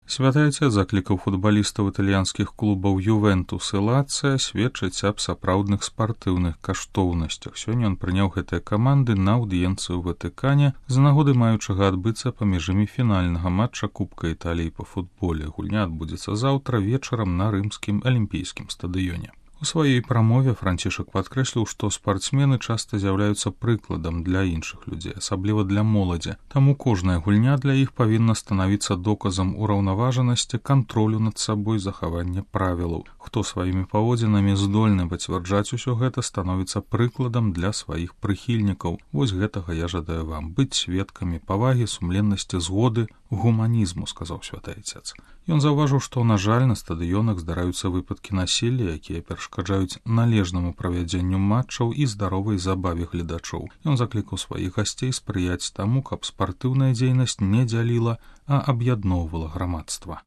Святы Отец заклікаў футбалістаў італьянскіх клубаў «Ювентус» і «Лацыя» сведчыць аб сапраўдных спартыўных каштоўнасцях. Сёння ён прыняў гэтыя каманды на аўдыенцыю ў Ватыкане з нагоды маючага адбыцца паміж імі фінальнага матча Кубка Італіі па футболе. Гульня адбудзецца заўтра вечарам на рымскім алімпійскім стадыёне. У сваёй прамове Францішак падкрэсліў, што спартсмены часта з'яўляюцца прыкладам для іншых людзей, асабліва для моладзі. Таму кожная гульня для іх павінна станавіцца доказам ураўнаважанасці, кантролю над сабой, захавання правілаў. Хто сваімі паводзінамі здольны пацвярджаць усё гэта, становіцца прыкладам для сваіх прыхільнікаў. Вось гэтага я жадаю вам, быць сведкамі павагі, сумленнасці, згоды, гуманізму, сказаў Святы Отец. Ён заўважыў, што, на жаль, на стадыёнах здараюцца выпадкі насілля, якія перашкаджаюць належнаму правядзенню матчаў і здаровай забаве гледачоў. Ён заклікаў сваіх гасцей спрыяць таму, каб спартыўная дзейнасць не дзяліла, а аб'ядноўвала грамадства.